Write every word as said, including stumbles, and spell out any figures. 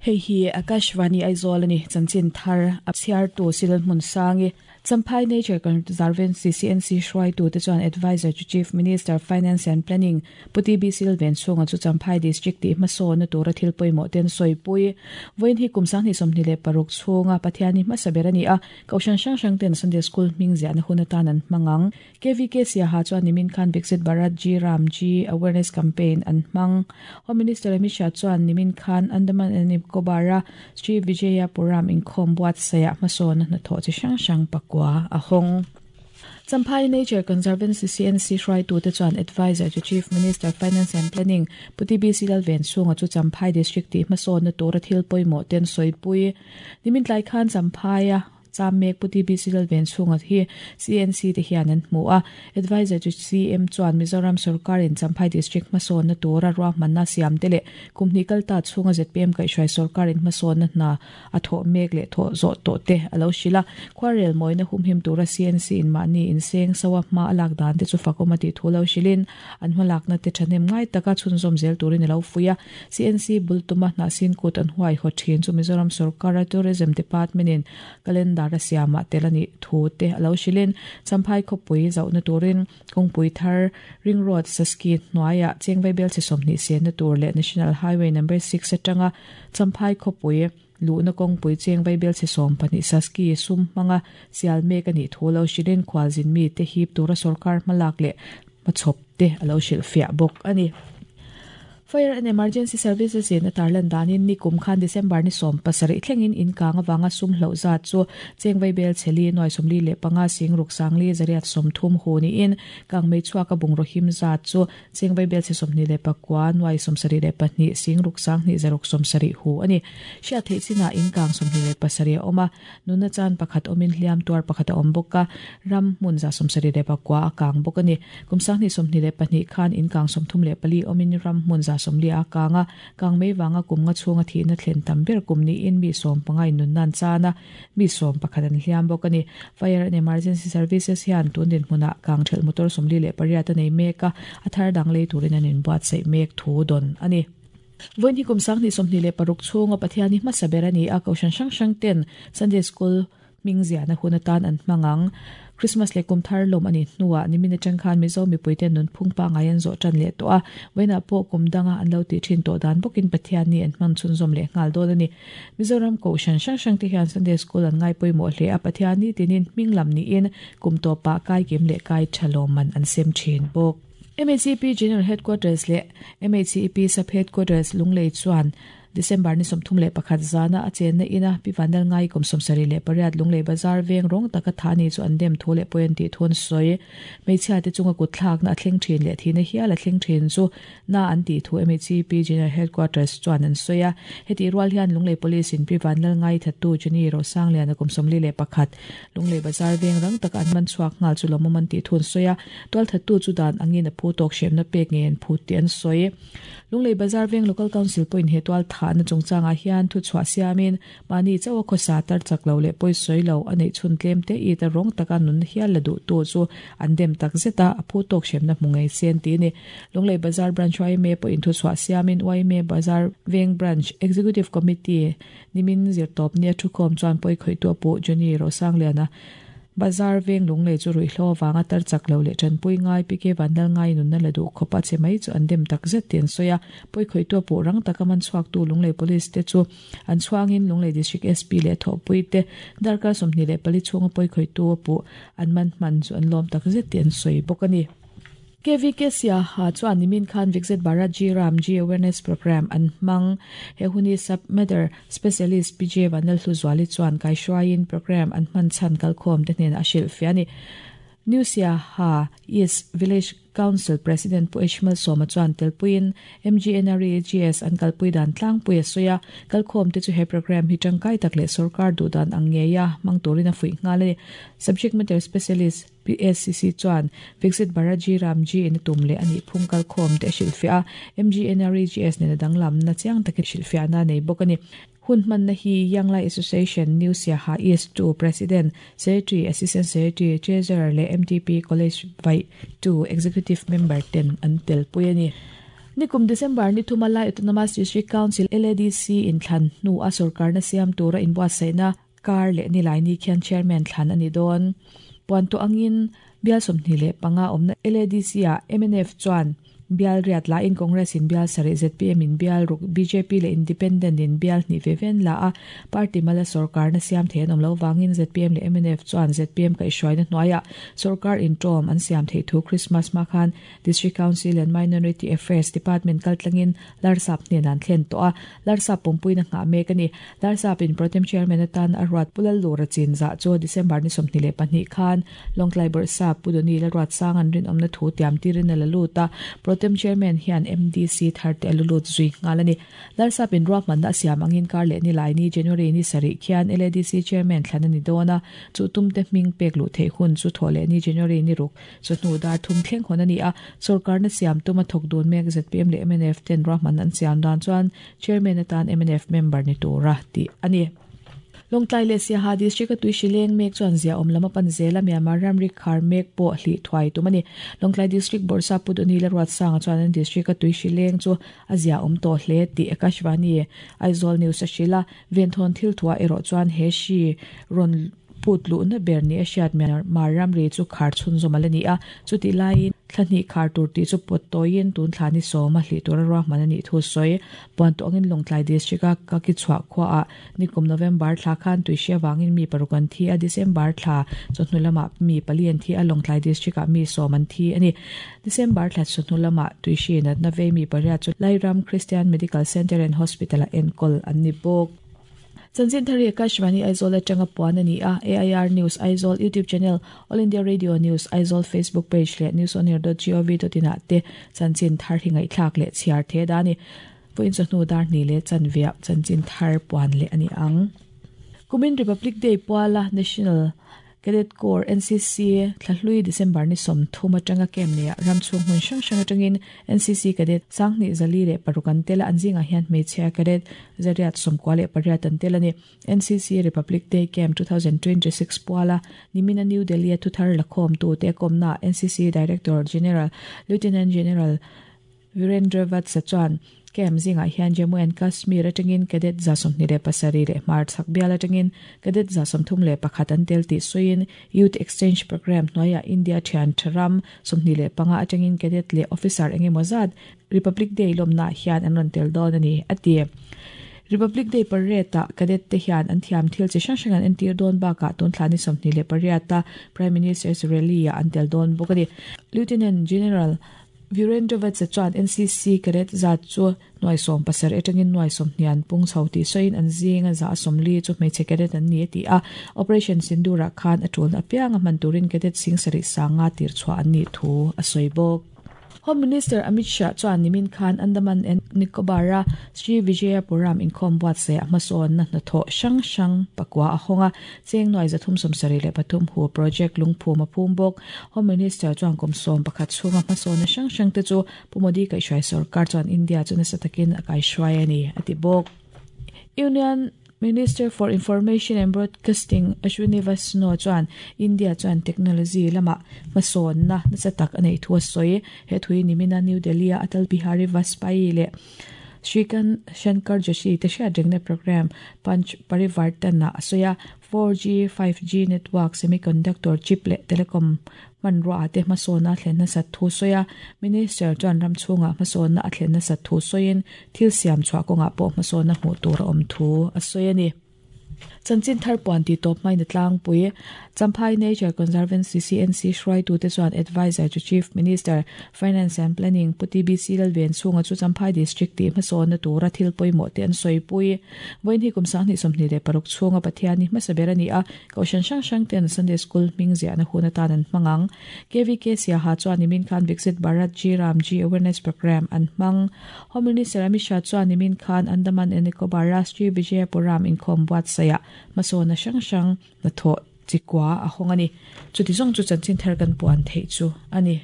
Hei hi Akashvani Aizawl ani chanchin thar a chhiar tu sil hmun sangi Champhai Nature Conservancy C N C hruai tu te chuan advisor to Chief Minister Finance and Planning Puti B Silven chunga chu Champhai District ti hmasawn na tura thil pawimawh ten sawipui vawiin hi kum sanghnih sawmhnih leh paruk chhunga Pathiani hmasa ber ani a kohhran hrang hrang ten Sunday School hming ziahna hun atan an hmangang K V K Siaha chuan nimin khan Viksit Bharat G Ram G Awareness Campaign an hmang Home Minister Amit Shah chuan nimin khan Andaman and Nicobar Sri Vijayapuram inkhawm buat saya hmasawn na thaw chi hrang hrang pak kwa a hong Champhai Nature Conservancy C N C hruai tu te chuan advisor to Chief Minister Finance and Planning Puti B Silven chunga chu Champhai District ti hmasawn na tura thil pawimawh ten sawipui nimin tlai khan Champhai a Chamek Puti B Silven chunga hi C N C te hian an hmu a advisor to C M chuan Mizoram Sarkar in Champhai District hmasawn na tura ruahmanna siam te leh kumhni kalta chhunga Z P M kaihhruai sarkar in hmasawn na hna a thaw mek leh thaw zawh tawh te alo hrila khuarel mawina humhim tura C N C in mahni in seng sawa hma alak dan te chu fakawm a tih thu lo hrilin an hmalakna te thahnem ngai taka chhunzawm zel turin alo fuia C N C bultuma hna sin kut an huai haw thin chu Mizoram Sarkar Tourism Department in calendar siama telani thu te alo hrilin Champhai khawpui zauhna turin kawngpui thar ring road saski hnuaia chengvai bel chi sawmhnih sen na tur leh National Highway number six atanga Champhai khawpui luhna kawngpui chengvai bel chi sawm pahnih saski sum hmanga sial mek ani thu lo hrilin khualzin mi te hip tura sarkar hmalak leh hmachhawp te alo hrilh fiah bawk ani. Fire and Emergency Services in Tarlan danin ni kum khan December ni som pasarih thlengin in kang awanga sum hlo zat chu chengvai bel cheli noi somli le panga sing ruk sangli zariat som thum hu ni in kang mei chuaka bungro him zat chu chengvai bel che somni le pakwa noi som sari le pahnih sing ruk sang ni zaruk som sari hu ani sia thei china in kang somni le pasari oma nuna chan pakhat omin hliam tuar pakhat om boka ram mun za som sari le pakwa akang bok ani kum sang ni somni le pahnih khan in kang som thum le pali omin ram mun za somli a kanga kangmei wanga kumnga chhunga thi na thlen tam ber kumni in mi som pangai nun nan chana mi som pakhat an hliam bawk ani Fire and Emergency Services hian tundin hmuna kang thel motor somli leh pariat anei mek a a thar dang lei turin an in buat sei mek thu don ani vawiin hi kum sanghnih sawmhnih leh paruk chhunga Pathiani hmasa ber ani a kohhran hrang hrang ten Sunday School hming ziahna hun atan an hmangang Christmas le kum thar lom ani hnuah nimin atang khan Mizo mipui ten nun phung pa ngai an zawh tan leh tawh a vawiinah pawh kum danga an lo ti thin tawh dan bawkin Pathiani an hman chhunzawm leh nghal dawn ani Mizoram kohhran hrang hrang te hian Sunday School an ngai pawimawh hle a Pathiani tinin hming lam niin kum tawpah kai kim leh kai tha lawm an an sem thin bawk. M H C P General Headquarters le M H C P Sub Headquarters Lunglei chuan December ni somthum leh pakhat zana a chenna ina pivanal ngai kum somsari leh pariat Lunglei Bazar veng rawng taka thani chu an dem thu leh point ti thun sawi hmeichhia te chunga kut thlak na a thleng thin leh thina hial a thleng thin chu na an ti thu M H C P General Headquarters chuan an sawi a heti rual hian Lunglei Police in pivanal ngai thattu Jenny Rosanglian a kum somli leh pakhat Lunglei Bazar veng rang taka an man chhuak nghal chu lawmawm an ti thun sawi a tual thattu chu dan angin a phu tawk hremna pek nge an phut ti an sawi Lunglei Bazar veng Local Council point he tual tha na chungchanga hian thu chhuah siamin mani chawa khawsa tar chak lo leh pawi sawi lo a neih chhun tlem te i ta rawng taka nun hial la duh tu chu an dem tak zeta a phu tawk hremna hmu ngei sen ti ni Lunglei Bazar Branch Y M A pawhin thu chhuah siamin Y M A Bazar Veng Branch Executive Committee nimin zirtawp nia thukhawm chuan pawi khawih tu pawh Johnny Rosangliana Bazar veng Lunglei chu ruihhlo awanga tar chak lo leh tanpui ngai P K Vanlal ngai nunna la duh khawpa che mai chu an dem tak zet ten sawi a pawi khawih tu pawh rang taka man chhuak tu Lunglei Police te chu an chhuangin Lunglei District S P leh thawhpui te darkar sawmhnih leh pali chhunga pawi khawih tu pawh an man hman chu an lawm tak zet ten sawi bawk ani. K V K Siaha chuan nimin khan Viksit Bharat G Ram G Awareness Program an hmang he huni sub matter specialist P J Vanal Hluzuali chuan kai hruaiin program an hman chhan kalkhawm te hnen a hrilh fiah ani New Siaha East Village Council President Pu Ishmael Soma chuan telpuin M G N R E G S an kalpui dan tlangpui a sawi a kalkhawm te chu he program hi tangkai tak leh sarkar duh dan ang ngeia hmang turin a fuih nghal ani Subject Matter Specialist P S C C chuan Viksit Bharat G Ram G in tum leh ani phung kalkhawm te hrilh fiah a M G N R E G S nena danglam na chiang takin hrilh fiah na nei bawk ani Hun hman na hi Young Lai Association New Siaha East two President Secretary Assistant Secretary Treasurer le M T P College Vai two Executive Member ten an tel pui ani. Nikum December ni thuma Lai Autonomous District Council L A D C in thlan nu a sarkar na siam tura in buatsaihna kar leh nilai ni khian chairman thlan ani dawn. Puan to angin bial sawmhnih leh panga awmna L A D C a M N F chuan bial riat la in Congress in bial sari Z P M in bial ruk B J P le Independent in bial ni ve ven la a party mala sarkar na siam the anom lo wangin Z P M le M N F chuan Z P M ka ishwai na hnuaia sarkar in tom an siam thei thu Christmas ma khan District Council and Minority Affairs Department kaltlangin Larsap hnen an thlen to a Larsap pumpui na nga mek ani Larsap in Protem Chairman atan arwat pulal lura chin za cho December ni sawmhnih leh pahnih khan Longtlai Bawrhsap Pudoni la ruat sang an rin awmna thu tiam tirin a la lut a Protem Chairman hian M D C tharte alulut zui ngalani Larsap in ruahman na siam angin kar leh ni lai ni January ni sari khian L A D C Chairman thlanani dona chu tumte hming pek lu thei hun chu thole ni January ni ruk chu hnu dar thum thleng hon ani a sarkar na siam tuma thok dun mek Z P M le M N F ten ruahman an siam dan chuan Chairman atan M N F member ni tura ti ani. Longtlai le Siaha District tui shileng mek chuan zia awm lama pan zela Myanmar ramri khar mek pawh hli thuai tumani Longtlai District Bawrhsap Pudoni la ruat sanga chuan an district tui shileng chu a zia awm tawh hle tih Akashvani Aizawl News a hrila venthon thil thua erawh chuan he hri rawn put lu na ber ni a hriat Myanmar ramri chu khar chhun zawm ala ni a chuti laiin thlahnih khar tur tih chu pawt tawiin tun thlani sawma hli tura ruahman ani thu sawi puan tawh angin Longtlai District a ka ki chhuah khua a nikum November thla khan tui hria wangin mi paruk an thi a December thla chawhnu lamah mi pali an thi a Longtlai District ah mi sawm an thi ani December thla chawhnu lamah tui hri natna vei mi pariat chu Lairam Christian Medical Center and Hospital a enkawl an ni bawk. Chanchin thari Akashvani Aizawl atanga puan ani a A I R News Aizawl YouTube channel All India Radio News Aizawl Facebook page le news on air dot gov dot in te chanchin thar hingai thlak le chhiar the dani puin chawhnu dar ni le chanvia chanchin thar puan le ani ang. Kumin Republic Day puala National Cadet Corps N C C thlahlui December ni sawmthum atanga kem ne ramchhung hmun hrang hrang atangin N C C cadet sangni zali le parukan tela anzinga hian hmeichhia cadet zariat sawmkua leh pariat an tel ani N C C Republic Day Camp twenty twenty-six puala nimina New Delhi a thuthar lakhawm tu te kawmna N C C Director General Lieutenant General Virendra Vatsa chuan kem zinga hian Jammu and Kashmir atangin cadet za sawmhnih leh pasarih leh hmar chhak bial atangin cadet za sawmthum leh pakhat an tel tih sawiin Youth Exchange Program hnuaia India thian tharam sawmhnih leh panga atangin cadet leh officer engemaw zat Republic Day lawmna hian an rawn tel dawn ani a ti. Republic Day parade a cadet te hian an thiam thil chi hrang hrang an entir dawn bakah tun thlani sawmhnih leh pariat a Prime Minister's rally a an tel dawn bawk ani. Lieutenant General Virendra Vatsa chuan N C C cadet zat chu nuai sawm pasarih atangin nuai sawmhnian pung chho tih sawiin an zinga za sawmli chu hmeichhe cadet an ni ti a Operation Sindura khan a tul apianga hman turin cadet sing sarih sanga tir chhuah an ni thu a sawi bawk. Home Minister Amit Shah chuan nimin khan Andaman and Nicobar Sri Vijayapuram inkhawm buatsaih a hmasawn na hnathawh hrang hrang pakua a hawnga cheng nuai zathum sawmsarih leh pathum hu project lungphum a phum bawk. Home Minister chuan kum sawm pakhat chhunga hmasawn na hrang hrang te chu Pu Modi kaihhruai sarkar chuan India chu nasa takin a kaihhruai ani a ti bawk. Union Minister for Information and Broadcasting Ashwini Vaishnaw chuan India chuan technology lama hmasawn na nasa tak anei thu a sawi he thui nimina New Delhi a Atal Bihari Vajpayee le Shrikant Shankar Joshi te hriat rengna program Panch Parivartan a sawi a four G five G network semiconductor chip le telecom hmanrua te hmasawn a thlen nasa thu sawi a Minister chuan ramchhunga hmasawn na a thlen nasa thu sawiin thil siam chhuah kawngah pawh hmasawn na hmuh tur a awm thu a sawi ani. Chanchin thar puan ti tawp mai na tlangpui Champhai Nature Conservancy C N C hruai tu te chuan advisor to Chief Minister Finance and Planning Puti B C Lalven chhunga chu Champhai District ti hmasawn na tura thil pawimawh te an sawipui vawiin hi kum sanghnih sawmhnih leh paruk chhunga Pathian ni hmasa ber ani a kohhran hrang hrang ten Sunday School hming ziahna hun atan an hmangang K V K Siaha chuan nimin khan Viksit Bharat G Ram G Awareness Program an hmang. Home Minister Amit Shah chuan nimin khan Andaman and Nicobar Sri Vijayapuram inkhawm buatsaih hmasawn na hrang hrang na thawh chikua a hawnga ni chuti zawng chu chanchin thar kan puan theih chu ani.